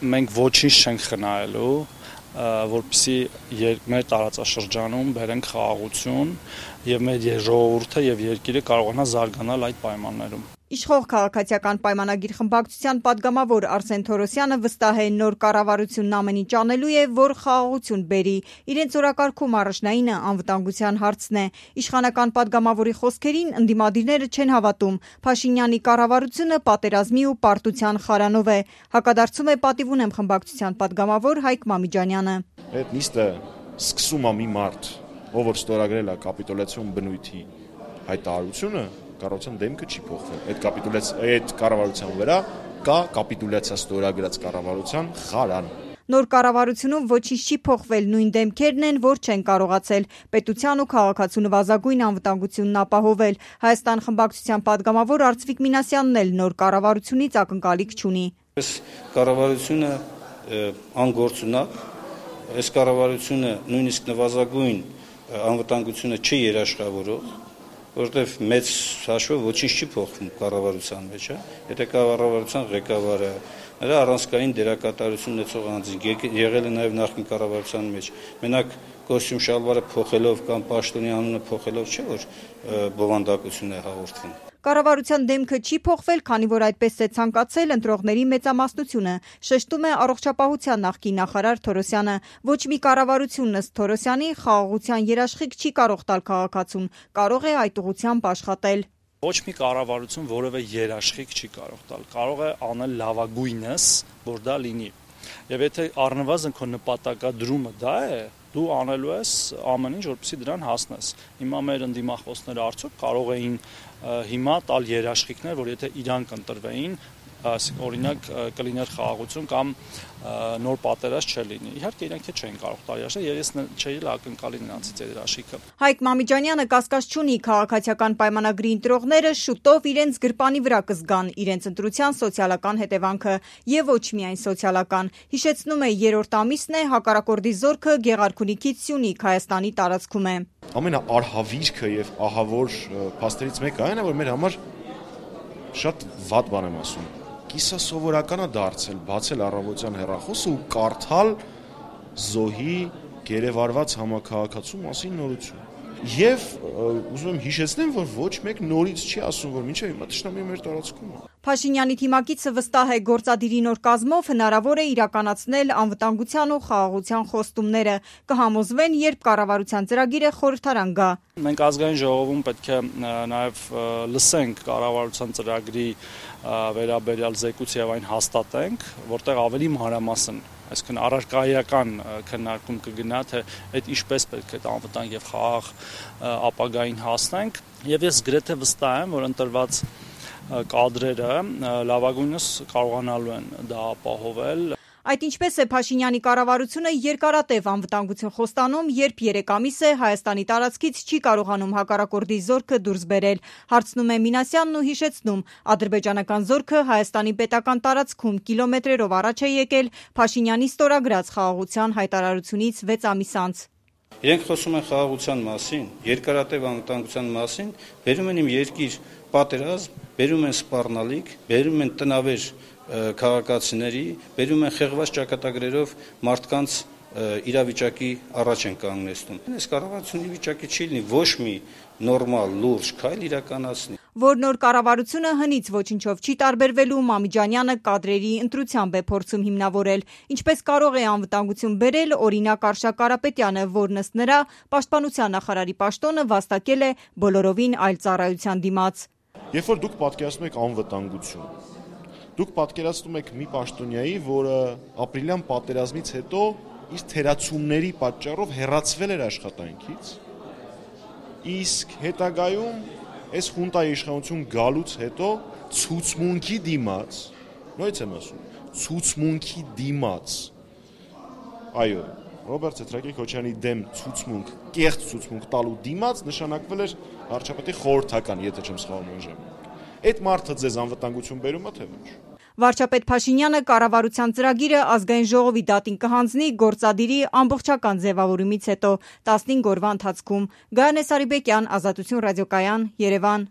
մենք ոչինչ չենք խնայելու, որպեսզի մեր տարածաշրջանում բերենք խաղաղություն եւ մեր ժողովուրդը եւ երկիրը կարողանա զարգանալ այդ պայմաններում։ Իշխող քաղաքացիական պայմանագիր խմբակցության պատգամավոր Արսեն Թորոսյանը վստահ է նոր կառավարությունն ամեն ինչ անելու է, որ խաղաղություն բերի։ Իրենց օրակարգում առաջնայինը անվտանգության հարցն է։ Իշխանական պատգամավորի խոսքերին ընդդիմադիրները չեն հավատում։ Փաշինյանի կառավարությունը պատերազմի ու պարտության խարանով է։ Հակադարձում է պատիվ ունեմ խմբակցության պատգամավոր Հայկ Մամիջանյանը։ Այդ նիստը սկսում է մի մարդ, ով որ ստորագրել է կապիտուլյացիոն բնույթի հայտարարությունը, կառավարության դեմքը չի փոխվել։ Այդ կառավարության վրա կա կապիտուլյացիա ստորագրած կառավարության խարան։ Նոր կառավարությունում ոչինչ չի փոխվել, նույն դեմքերն են, որ չեն կարողացել պետության ու քաղաքացու նվազագույն անվտանգությունն ապահովել։ Հայաստան խմբակցության պատգամավոր Արծվիկ Մինասյանն էլ նոր կառավարությունից ակնկալիք չունի։ Այս կառավարությունը անգործունակ, այս կառավարությունը նույնիսկ նվազագույն անվտանգությունը չի երաշխավորող, որտեվ մեծ հաշվով ոչինչ չի փոխվում կառավարության մեջ, Եթե կառավարության ղեկավարը նրա առանցքային դերակատարություն ունեցող անձինք եղել է նաև նախկին կառավարության մեջ, մենակ կոստյում շալվարը փոխելով կամ պաշտոնի անունը փոխելով չէ, որ բովանդակություն է հաղորդվում։ Կառավարության դեմքը չի փոխվել, քանի որ այդպես է ցանկացել ընտրողների մեծամասնությունը, շեշտում է առողջապահության նախկին նախարար Թորոսյանը։ Ոչ մի կառավարություն ըստ Թորոսյանի խաղաղության երաշխիք չի կարող տալ քաղաքացուն, կարող է այդ ուղղությամբ աշխատել։ Ոչ մի կառավարություն որևէ երաշխիք չի կարող տալ, կարող է անել լավագույնս, որ դա լինի։ Եվ եթե առնվազն քո նպատակադրումը դա է, դու անելու ես ամեն ինչ, որպեսզի դրան հասնես։ Հիմա մեր ընդդիմախոսները արդյոք կարող էին հիմա տալ երաշխիքներ, որ եթե իրանք ընտրվեին, օրինակ կլիներ խաղաղություն կամ նոր պատերազմ չլինի։ Իհարկե իրենք չէին կարող տալ երաշխիք, եւ ես չէի ակնկալի նրանցից երաշխիքը։ Հայկ Մամիջանյանը կասկած չունի, քաղաքացիական պայմանագրի ընտրողները շուտով իրենց գրպանի վրա կզգան իրենց ընտրության սոցիալական հետևանքը եւ ոչ միայն սոցիալական։ Հիշեցնում է, երրորդ ամիսն է հակառակորդի զորքը Գեղարքունիքից Սյունիք Հայաստանի տարածքում է։ Ամենաարհավիրքը եւ ահավոր փաստերից մեկը այն է, որ մեր համար շատ վատ բան եմ ասում։ Կիսասովորական է դարձել բացել առավոտյան հեռախոսը ու կարդալ զոհի գերեվարված համակարգացու մասին նորություն։ Եվ ուզում եմ հիշեցնեմ, որ ոչ մեկ նորից չի ասում, որ մինչև հիմա թշնամի մեր տարածքում է։ Փաշինյանի թիմակիցը վստահ է, գործադիրի նոր կազմով հնարավոր է իրականացնել անվտանգության ու խաղաղության խոստումները, կհամոզվեն, երբ կառավարության ծրագիրը խորհրդարան գա։ Մենք ազգային ժողովում պետք է նաև լսենք կառավարության ծրագրի վերաբերյալ զեկույցը եւ այն հաստատենք, որտեղ ավելի մանրամասն, այսինքն առարկայական քննարկում կգնա, թե այդ ինչպես պետք է անվտանգ եւ խաղաղ ապագային հասնենք, եւ ես գրեթե վստահ եմ, որ ընտրված կադրերը լավագույնս կարողանալու են դա ապահովել։ Այդ ինչպես է Փաշինյանի կառավարությունը երկարատև անվտանգություն խոստանում, երբ 3 ամիս է Հայաստանի տարածքից չի կարողանում հակառակորդի զորքը դուրս բերել։ Հարցնում է Մինասյանն ու հիշեցնում, ադրբեջանական զորքը Հայաստանի պետական տարածքում կիլոմետրերով առաջ է եկել Փաշինյանի ստորագրած խաղաղության հայտարարությունից 6 ամիս անց։ Իրենք խոսում են խաղաղության մասին, երկարատև անվտանգության մասին, բերում են իմ երկիր պատերազմ, բերում են սպառնալիք, բերում են տնավեր քաղաքացիների, բերում են խեղված ճակատագրերով մարդկանց իրավիճակի առաջ են կանգնեցնում։ Այս կառավարությունը վիճակի չի լինի ոչ մի նորմալ լուրջ քայլ իրականացնի։ Որ նոր կառավարությունը հնից ոչինչով չի տարբերվելու, Մամիջանյանը կադրերի ընտրությամբ է փորձում հիմնավորել։ Ինչպես կարող է անվտանգություն բերել, օրինակ Արշակ Կարապետյանը, որն ըստ նրա պաշտպանության նախարարի պաշտոնը վաստակել է բոլորովին այլ ծառայության դիմաց։ Երբ որ դուք պատկերացնում եք անվտանգություն, դուք պատկերացնում եք մի պաշտոնյայի, որը ապրիլյան պատերազմից հետո իր թերացումների պատճառով հեռացվել էր աշխատանքից, իսկ հետագայում այս խունտայի իշխանություն գալուց հետո ցուցմունքի դիմաց, նույնից եմ ասում, ցուցմունքի դիմաց, այո, Ռոբերտ Սեթրակի-Քոչյանի դեմ ցուցմունք, կեղծ ցուցմունք տալու դիմաց նշանակվել էր վարչապետի խորհրդական, եթե չեմ սխալվում այն ժամանակ։ Այդ մարդը ձեզ անվտանգություն բերում է, թե ոչ։ Վարչապետ Փաշինյանը կառավարության ծրագիրը ազգային ժողովի դատին կհանձնի գործադիրի ամբողջական ձևավորումից հետո 15 օրվա ընթացքում։ Գայանե Սարիբեկյան, Ազատություն ռադիոկայան, Երևան։